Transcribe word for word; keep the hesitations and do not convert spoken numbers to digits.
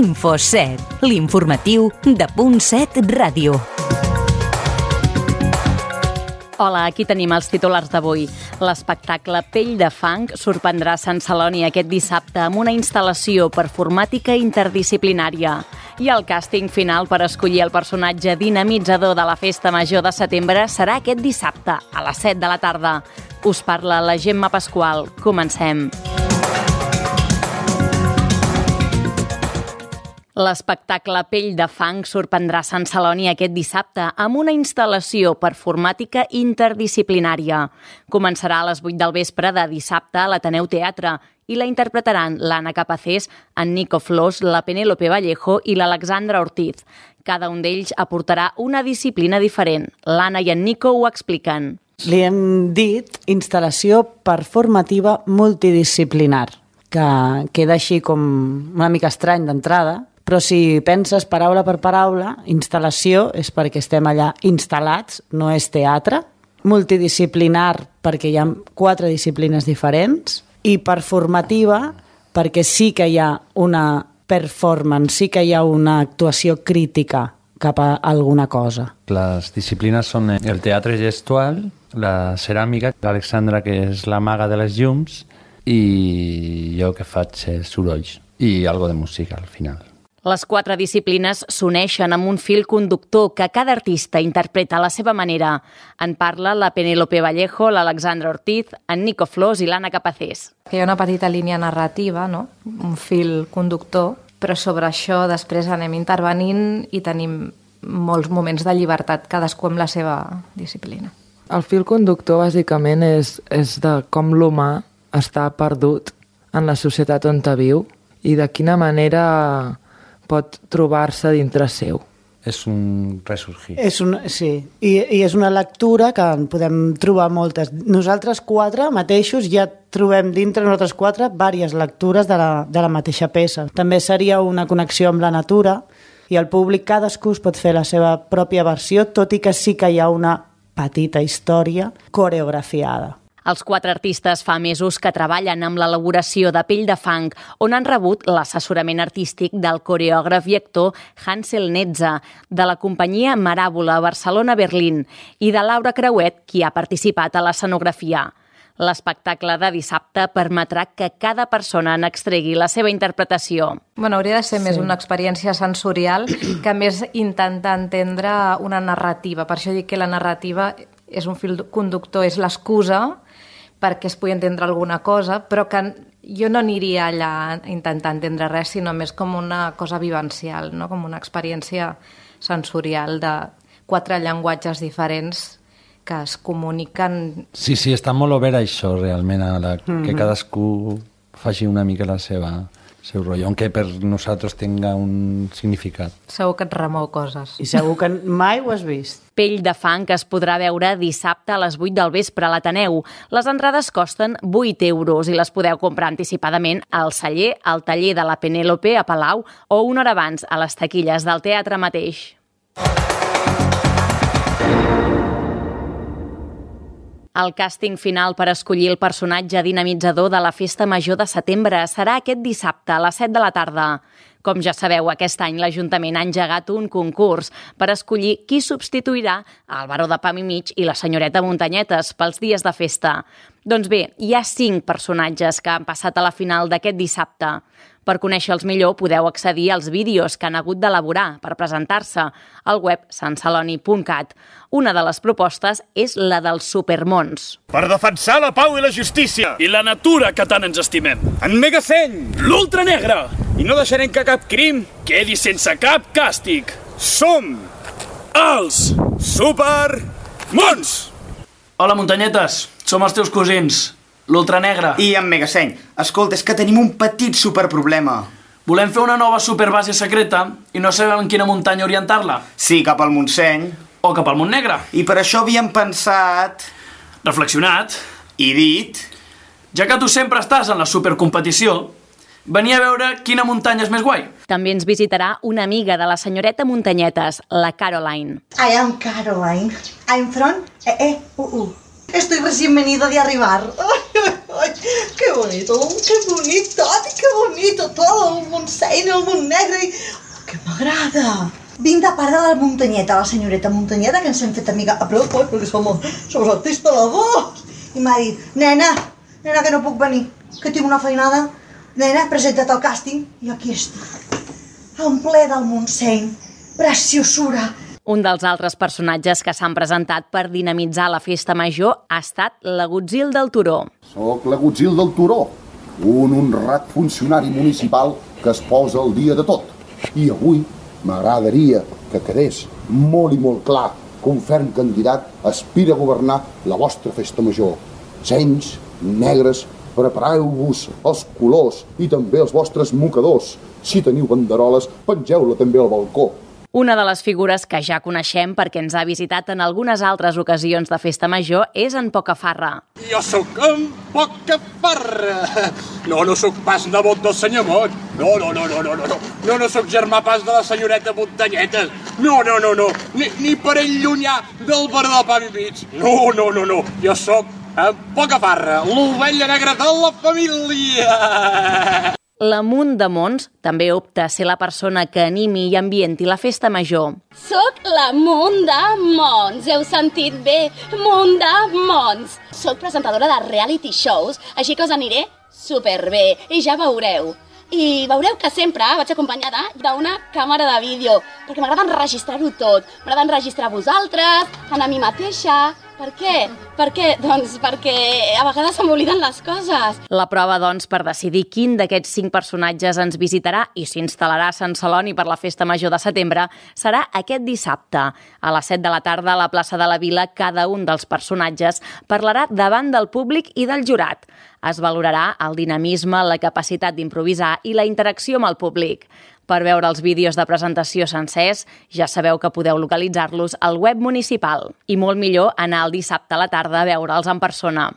Info set, l'informatiu de Punt set Ràdio. Hola, aquí tenim els titulars d'avui. L'espectacle Pell de fang sorprendrà Sant Celoni aquest dissabte amb una instal·lació performàtica interdisciplinària. I el càsting final per escollir el personatge dinamitzador de la Festa Major de setembre serà aquest dissabte, a les set de la tarda. Us parla la Gemma Pasqual. Comencem. L'espectacle Pell de fang sorprendrà Sant Celoni aquest dissabte amb una instal·lació performàtica interdisciplinària. Començarà a les vuit del vespre de dissabte a l'Ateneu Teatre i la interpretaran l'Anna Capacés, en Nico Flors, la Penélope Vallejo i l'Alexandra Ortiz. Cada un d'ells aportarà una disciplina diferent. L'Anna i en Nico ho expliquen. Li hem dit instal·lació performativa multidisciplinar, que queda així com una mica estrany d'entrada, però si penses paraula per paraula, instal·lació és perquè estem allà instal·lats, no és teatre. Multidisciplinar perquè hi ha quatre disciplines diferents i performativa perquè sí que hi ha una performance, sí que hi ha una actuació crítica cap a alguna cosa. Les disciplines són el teatre gestual, la ceràmica, l'Alexandra, que és la maga de les llums, i jo que faig sorolls i algo de música al final. Les quatre disciplines s'uneixen amb un fil conductor que cada artista interpreta a la seva manera. En parla la Penélope Vallejo, l'Alexandra Ortiz, en Nico Flors i l'Anna Capacés. Hi ha una petita línia narrativa, no? Un fil conductor, però sobre això després anem intervenint i tenim molts moments de llibertat, cadascú amb la seva disciplina. El fil conductor bàsicament és, és de com l'humà està perdut en la societat on viu i de quina manera pot trobar-se dintre seu. És un ressorgir. És un, sí, I, i és una lectura que en podem trobar moltes. Nosaltres quatre mateixos ja trobem dintre nosaltres quatre diverses lectures de la, de la mateixa peça. També seria una connexió amb la natura i el públic cadascú es pot fer la seva pròpia versió, tot i que sí que hi ha una petita història coreografiada. Els quatre artistes fa mesos que treballen amb l'elaboració de Pell de fang, on han rebut l'assessorament artístic del coreògraf i actor Hansel Netza, de la companyia Maràbola Barcelona-Berlín i de Laura Creuet, qui ha participat a l'escenografia. L'espectacle de dissabte permetrà que cada persona n'extregui la seva interpretació. Bueno, hauria de ser sí. més una experiència sensorial que més intentar entendre una narrativa. Per això dic que la narrativa és un fil conductor, és l'excusa perquè es pugui entendre alguna cosa, però que jo no aniria allà a intentar entendre res, sinó més com una cosa vivencial, no? Com una experiència sensorial de quatre llenguatges diferents que es comuniquen. Sí, sí, està molt obert això, realment, a la, mm-hmm. que cadascú faci una mica la seva seu rotllo, aunque per nosaltres tenga un significat. Segur que et remou coses. I segur que mai ho has vist. Pell de fang es podrà veure dissabte a les vuit del vespre a l'Ateneu. Les entrades costen vuit euros i les podeu comprar anticipadament al celler, al taller de la Penélope a Palau o una hora abans a les taquilles del teatre mateix. El càsting final per escollir el personatge dinamitzador de la Festa Major de setembre serà aquest dissabte a les set de la tarda. Com ja sabeu, aquest any l'Ajuntament ha engegat un concurs per escollir qui substituirà el Baró de Pam i Mig i la senyoreta Muntanyetes pels dies de festa. Doncs bé, hi ha cinc personatges que han passat a la final d'aquest dissabte. Per conèixer-los millor podeu accedir als vídeos que han hagut d'elaborar per presentar-se al web sant celoni punt cat. Una de les propostes és la dels supermons. Per defensar la pau i la justícia. I la natura que tant ens estimem. En Megaseny. L'Ultra Negre. I no deixarem que cap crim quedi sense cap càstig. Som els Supermons. Hola, Muntanyetes. Som els teus cosins. L'Ultra Negre. I en Megaseny. Escolta, és que tenim un petit superproblema. Volem fer una nova superbase secreta i no sabem en quina muntanya orientar-la. Sí, cap al Montseny. O cap al Mont Negre. I per això havíem pensat... Reflexionat. I dit... Ja que tu sempre estàs en la supercompetició, venia a veure quina muntanya és més guai. També ens visitarà una amiga de la senyoreta Muntanyetes, la Caroline. I am Caroline. I'm from... Eh, eh, uh, uh. Estoy recién venido de arribar. ¡Ay, ay, ay! qué bonito, qué bonito, qué bonito, todo el Montseny, el Montnegre, que m'agrada. Vinc de part de la muntanyeta, la senyoreta muntanyeta, que ens hem fet amiga a prop, oi, perquè som, som artistes de dos. I m'ha dit, nena, nena, que no puc venir, que tinc una feinada. Nena, presenta't al càsting. I aquí estic, en ple del Montseny, preciosura. Un dels altres personatges que s'han presentat per dinamitzar la festa major ha estat l'Agutzil del Turó. Soc l'Agutzil del Turó, un honrat funcionari municipal que es posa al dia de tot. I avui m'agradaria que quedés molt i molt clar que un ferm candidat aspira a governar la vostra festa major. Senys, negres, prepareu-vos els colors i també els vostres mocadors. Si teniu banderoles, pengeu-la també al balcó. Una de les figures que ja coneixem perquè ens ha visitat en algunes altres ocasions de festa major és en Pocafarra. Jo sóc en Pocafarra. No, no sóc pas nebot del senyor Mot. No, no, no, no, no, no, no. No, no sóc germà pas de la senyoreta Montanyetes. No, no, no, no. Ni, ni parell llunyà del bar del pa i mig. No, no, no, no. Jo sóc en Pocafarra, l'ovella negra de la família. L'Amunt de Mons també opta a ser la persona que animi i ambienti la festa major. Soc l'Amunt de Mons, heu sentit bé, Munt de Mons. Soc presentadora de reality shows, així que us aniré superbé i ja veureu. I veureu que sempre vaig acompanyada d'una càmera de vídeo, perquè m'agrada enregistrar-ho tot. M'agrada enregistrar vosaltres, a mi mateixa. Per què? Per què? Doncs perquè a vegades se m'obliden les coses. La prova, doncs, per decidir quin d'aquests cinc personatges ens visitarà i s'instal·larà a Sant Celoni per la Festa Major de setembre serà aquest dissabte. A les set de la tarda, a la plaça de la Vila, cada un dels personatges parlarà davant del públic i del jurat. Es valorarà el dinamisme, la capacitat d'improvisar i la interacció amb el públic. Per veure els vídeos de presentació sencers, ja sabeu que podeu localitzar-los al web municipal. I molt millor anar el dissabte a la tarda a veure'ls en persona.